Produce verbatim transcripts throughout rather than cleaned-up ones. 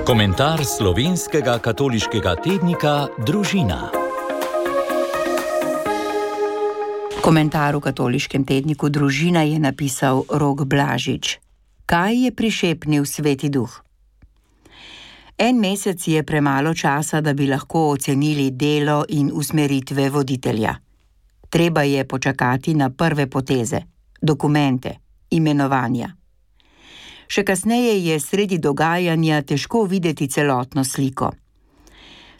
Komentar slovenskega katoliškega tednika Družina. Komentar v katoliškem tedniku Družina je napisal Rok Blažič. Kaj je prišepnil Sveti Duh? En mesec je premalo časa, da bi lahko ocenili delo in usmeritve voditelja. Treba je počakati na prve poteze, dokumente, imenovanja. Še kasneje je sredi dogajanja težko videti celotno sliko.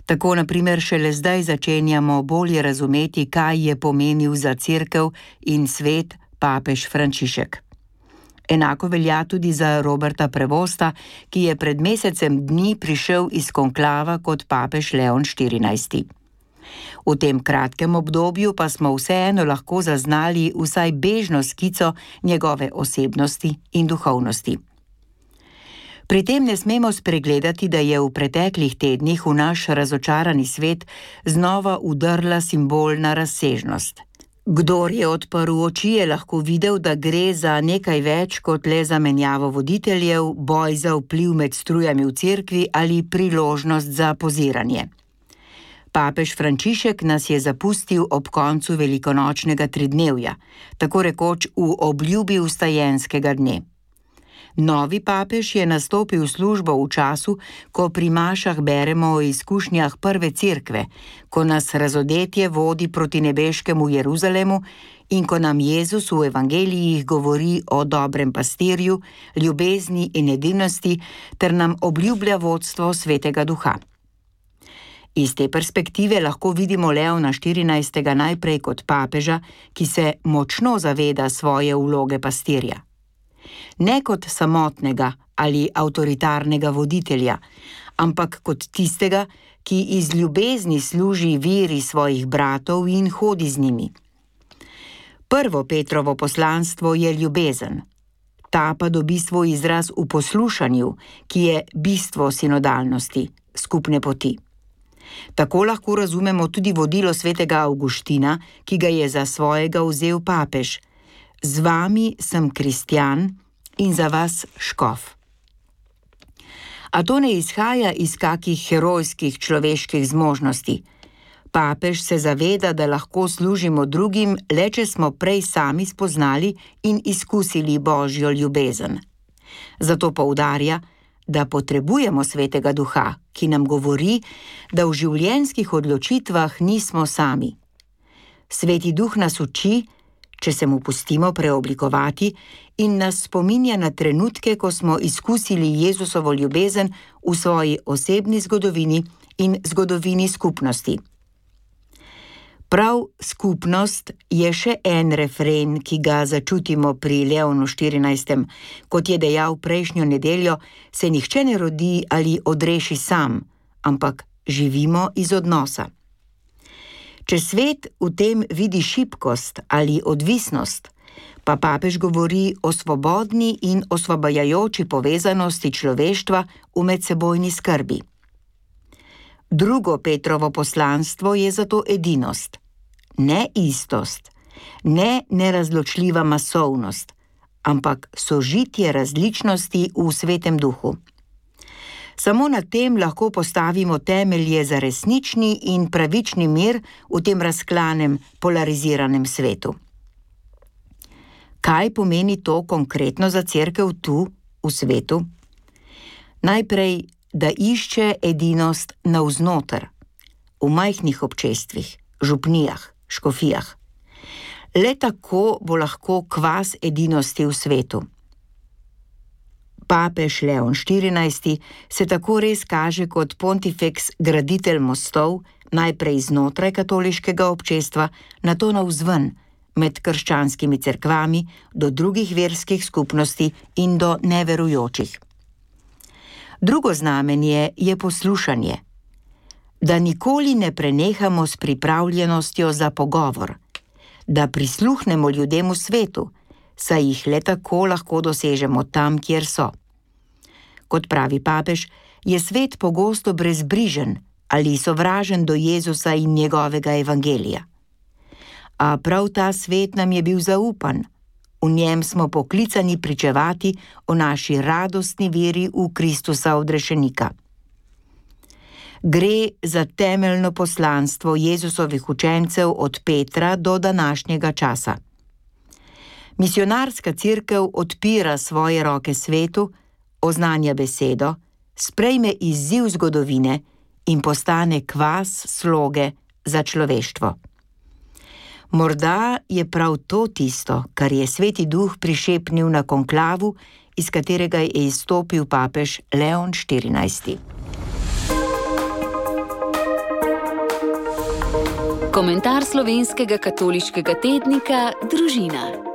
Tako na primer šele zdaj začenjamo bolje razumeti, kaj je pomenil za cerkev in svet papež Frančišek. Enako velja tudi za Roberta Prevosta, ki je pred mesecem dni prišel iz konklava kot papež Leon štirinajsti. V tem kratkem obdobju pa smo vseeno lahko zaznali vsaj bežno skico njegove osebnosti in duhovnosti. Pri tem ne smemo spregledati, da je v preteklih tednih v naš razočarani svet znova vdrla simbolna razsežnost. Kdor je odprl oči, je lahko videl, da gre za nekaj več kot le zamenjavo voditeljev, boj za vpliv med strujami v cerkvi ali priložnost za poziranje. Papež Frančišek nas je zapustil ob koncu velikonočnega tridnevja, tako rekoč v obljubi vstajenskega dne. Novi papež je nastopil službo v času, ko pri mašah beremo o izkušnjah prve cerkve, ko nas razodetje vodi proti nebeškemu Jeruzalemu in ko nam Jezus v evangelijih govori o dobrem pastirju, ljubezni in edinosti ter nam obljublja vodstvo Svetega Duha. Iz te perspektive lahko vidimo Leona štirinajstega najprej kot papeža, ki se močno zaveda svoje vloge pastirja. Ne kot samotnega ali avtoritarnega voditelja, ampak kot tistega, ki iz ljubezni služi veri svojih bratov in hodi z njimi. Prvo Petrovo poslanstvo je ljubezen. Ta pa dobi svoj izraz v poslušanju, ki je bistvo sinodalnosti, skupne poti. Tako lahko razumemo tudi vodilo svetega Avguština, ki ga je za svojega vzel papež. Z vami sem kristjan in za vas škof. A to ne izhaja iz kakih herojskih človeških zmožnosti. Papež se zaveda, da lahko služimo drugim, le če smo prej sami spoznali in izkusili Božjo ljubezen. Zato poudarja, da potrebujemo Svetega Duha, ki nam govori, da v življenjskih odločitvah nismo sami. Sveti Duh nas uči, če se mu pustimo preoblikovati, in nas spominja na trenutke, ko smo izkusili Jezusovo ljubezen v svoji osebni zgodovini in zgodovini skupnosti. Prav skupnost je še en refren, ki ga začutimo pri Leonu štirinajstem. Kot je dejal prejšnjo nedeljo, se nihče ne rodi ali odreši sam, ampak živimo iz odnosa. Če svet v tem vidi šibkost ali odvisnost, pa papež govori o svobodni in osvobajajoči povezanosti človeštva v medsebojni skrbi. Drugo Petrovo poslanstvo je zato edinost, ne istost, ne nerazločljiva masovnost, ampak sožitje različnosti v Svetem Duhu. Samo na tem lahko postavimo temelje za resnični in pravični mir v tem razklanem, polariziranem svetu. Kaj pomeni to konkretno za cerkev tu, v svetu? Najprej, da išče edinost navznoter, v majhnih občestvih, župnijah, škofijah. Le tako bo lahko kvas edinosti v svetu. Papež Leon štirinajsti se tako res kaže kot pontifex graditelj mostov, najprej znotraj katoliškega občestva, nato navzven, med krščanskimi cerkvami, do drugih verskih skupnosti in do neverujočih. Drugo znamenje je poslušanje. Da nikoli ne prenehamo s pripravljenostjo za pogovor, da prisluhnemo ljudem v svetu, saj jih le tako lahko dosežemo tam, kjer so. Kot pravi papež, je svet pogosto brezbrižen ali sovražen do Jezusa in njegovega evangelija. A prav ta svet nam je bil zaupan. V njem smo poklicani pričevati o naši radostni veri v Kristusa odrešenika. Gre za temeljno poslanstvo Jezusovih učencev od Petra do današnjega časa. Misionarska cerkev odpira svoje roke svetu, oznanja besedo, sprejme izziv zgodovine in postane kvas sloge za človeštvo. Morda je prav to tisto, kar je Sveti Duh prišepnil na konklavu, iz katerega je izstopil papež Leon štirinajsti. Komentar slovenskega katoliškega tednika Družina.